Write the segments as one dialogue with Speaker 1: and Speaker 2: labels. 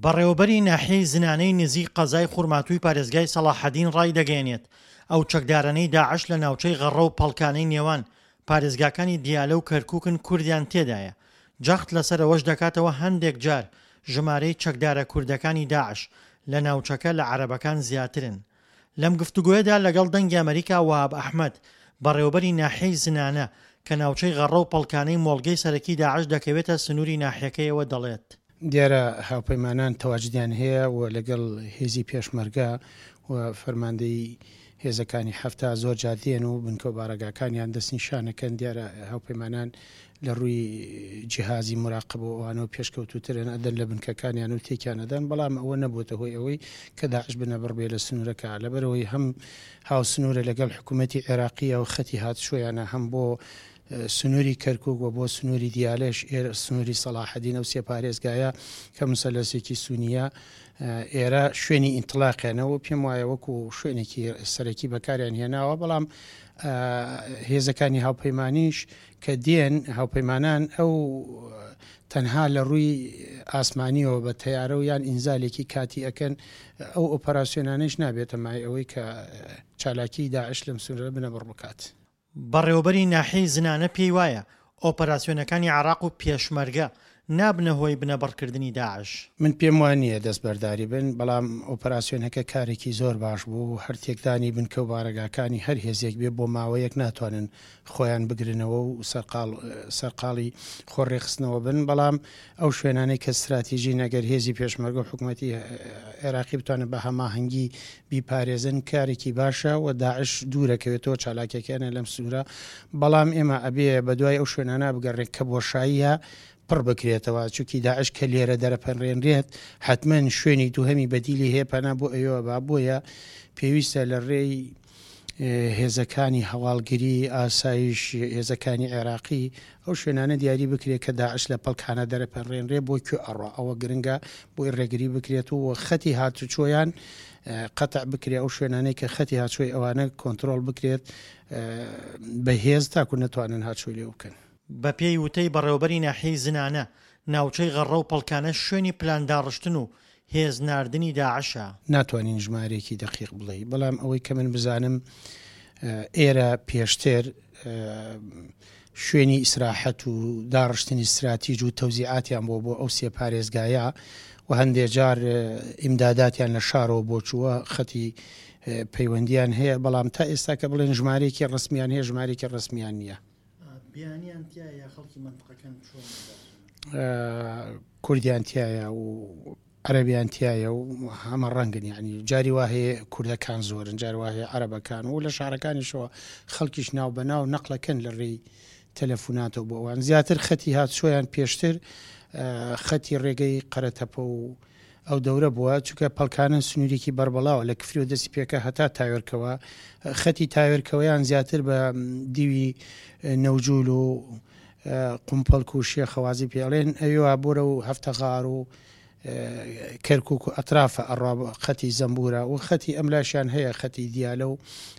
Speaker 1: بەڕێوەبەری ناحیەی زنانەی نزیک قەزای خورماتووی پارێزگای سەڵاحەدین ڕایدەگەیەنێت، ئەو چەکدارانەی داعش لە ناوچەی غەڕە و پەڵکانەی نێوان پارێزگاکانی دیالە و کەرکوکن کوردیان تێدایە، جەخت لەسەر ئەوەش دەکاتەوە هەندێک جار ژمارەی چەکدارە کوردەکانی داعش لە ناوچەکە لە عەرەبەکان زیاترن. لەم گفتوگۆیەدا لەگەڵ دەنگی ئەمەریکا وەهاب ئەحمەد، بەڕێوەبەری ناحیەی زنانە کە ناوچەی غەڕە و پەڵکانەی مۆڵگەی سەرەکی داعش دەکەوێتە سنووری ناحیەکەیەوە دەڵێت.
Speaker 2: دیارە هاوپەیمانان تەواجدیان هەیە و لەگەڵ هێزی پێشمەرگە و فەرماندەیی هێزەکانی 70 زۆر جار دێن و بنکە و بارەگاکانیان دەستنیشانەکەن. دیارە هاوپەیمانان لە ڕووی جیهازی موراقەبە و ئەوانەوە پێشکەوتووترن، ئەدەن لە بنکەکانیان و تێکیان ئەدەن، بەڵام ئەوە نەبووەتە هۆی ئەوەی کە داعش بنەبڕ بێ لە سنوورەکە، لەبەرئەوەی هەم هاوسنوورە لەگەڵ حکوومەتی عێراقییە و خەتی هاتوچۆیانە هەم بۆ سنووری کەرکووک و بۆ سنووری دیالەش، ئێرە سنووری سەڵاحەدین، ئەو سێ پارێزگایە کە موسەلەسێکی سونییە، ئێرە شوێنی ئینتڵاقیانە و پێم وایە وەکو شوێنێکی سەرەکی بەکاریان هێناوە، بەڵام هێزەکانی هاوپەیمانیش کە دێن هاوپەیمانان ئەو تەنها لە ڕووی ئاسمانیەوە بە تەیارە و یان ئینزالێکی کاتی ئەکەن، ئەو ئۆپەراسیۆنانەیش نابێتە مای ئەوەی کە چالاکیی داعش لەم سنوورە بنەبڕ بکات.
Speaker 1: بەڕێوەبەری ناحیەی زنانە پێی وایە، ئۆپەراسیۆنەکانی عێراق و پێشمەرگە نابنە هۆی بنەبڕکردنی داعش.
Speaker 2: من پێم وا نییە دەستبەرداری بن، بەڵام ئۆپەراسیۆنەکە کارێکی زۆر باش بوو، هەر تێکدانی بنکە و بارەگاکانی هەر هێزێک بێ بۆ ماوەیەک ناتوانن خۆیان بگرنەوە و سەرقاڵ سەرقاڵی خۆ ڕێکخستنەوە بن، بەڵام ئەو شوێنانەی کە ستراتیژین ئەگەر هێزی پێشمەرگە و حکومەتی عێراقی بتوانن بە هەماهەنگی بیپارێزن کارێکی باشە و داعش دوورەکەوێتەوە چالاکیەکانیان لەم سنوورە، بەڵام ئێمە ئەبێ بەدوای ئەو شوێنانە بگەڕێن کە بۆشاییە پڕ بکرێتەوە، چونکی داعش کە لێرە دەرەپەرێنرێت حەتمەن شوێنی دووهەمی بەدیلی هەیە پەنا بۆ ئەوێوە با، بۆیە پێویستە لە ڕێی هێزەکانی هەواڵگری، ئاسایش، هێزەکانی عێراقی ئەو شوێنانە دیاری بکرێت کە داعش لە پەڵکانە دەرەپەرێنرێ بۆ کوێ ئەڕوا، ئەوە گرنگە بۆی ڕێگری بکرێت و خەتی هاتوچۆیان قەتع بکرێت، ئەو شوێنانەی کە خەتی هاچۆی ئەوانە کۆنترۆڵ بکرێت بە هێز تاکو نەتوانن هاچۆی لێ بکەن.
Speaker 1: بەپێی وتەی بەڕێوەبەری ناحیەی زنانە، ناوچەی غەڕە و پەڵکانە شوێنی پلانداڕشتن و هێز ناردنی داعشە.
Speaker 2: ناتوانین ژمارەیەکی دەقیق بڵێی، بەڵام ئەوەی کە من بزانم ئێرە پێشتر شوێنی ئیسراحەت و داڕشتنی ستراتیج و تەوزیعاتیان بۆ بۆ ئەو سێ پارێزگایە و هەندێ جار ئیمداداتیان لە شارەوە بۆ چووە خەتی پەیوەندیان هەیە، بەڵام تا ئێستا کە بڵێن ژمارەیەکی ڕەسمیان هەیە ژمارەیەکی ڕەسمیان نییە.
Speaker 1: بیانیان تیایە یا خەڵکی مەنتقەکەن چۆن؟
Speaker 2: کوردیان تیایە و عەرەبیان تیایە و هەمە ڕەنگن یعنی جاری وا هەیە کوردەکان زۆرن جاری وا هەیە عەرەبەکان و لە شارەکانیشەوە خەڵکیش ناو بە ناو نەقلەکەن لە ڕێی تەلەفوناتەوە بۆ ئەوان زیاتر خەتی هاتچۆیان پێشتر خەتی ڕێگەی قەرەتەپە و ئەو دەورە بووە چونکە پەڵکانە سنوورێکی بەربڵاوە لە کفری و دەستی پێکە هەتا تاوێرکەوە خەتی تاوێرکەوەیان زیاتر بە دیوی نەوجول و قومپەڵک و شێخەوازی پێڵێن ئەوێوا بۆرە و هەفتەغار و کەرکک و ئەترافە ئەڕوا خەتی زەمبورە و خەتی ئەملاشیان هەیە خەتی دیالە و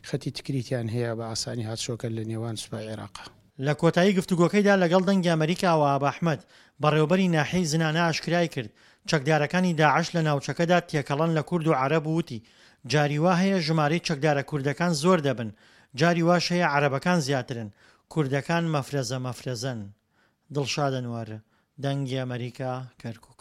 Speaker 2: خەتی تکریتیان هەیە بە ئاسانی هاتشۆکە لە نێوان سوپای عێراقا.
Speaker 1: لە کۆتایی گفتوگۆکەیدا لەگەڵ دەنگی ئەمەریکا وەهاب ئەحمەد، بەڕێوەبەری ناحیەی زنانە ئاشکرای کرد، چەکدارەکانی داعش لە ناوچەکەدا تێکەڵەن لە کورد و عەرەب و وتی، جاری وا هەیە ژمارەی چەکدارە کوردەکان زۆر دەبن، جاری واش هەیە عەرەبەکان زیاترن، کوردەکان مەفرەزە مەفرەزەن. دڵشاد ئەنوەر، دەنگی ئەمەریکا، کەرکوک.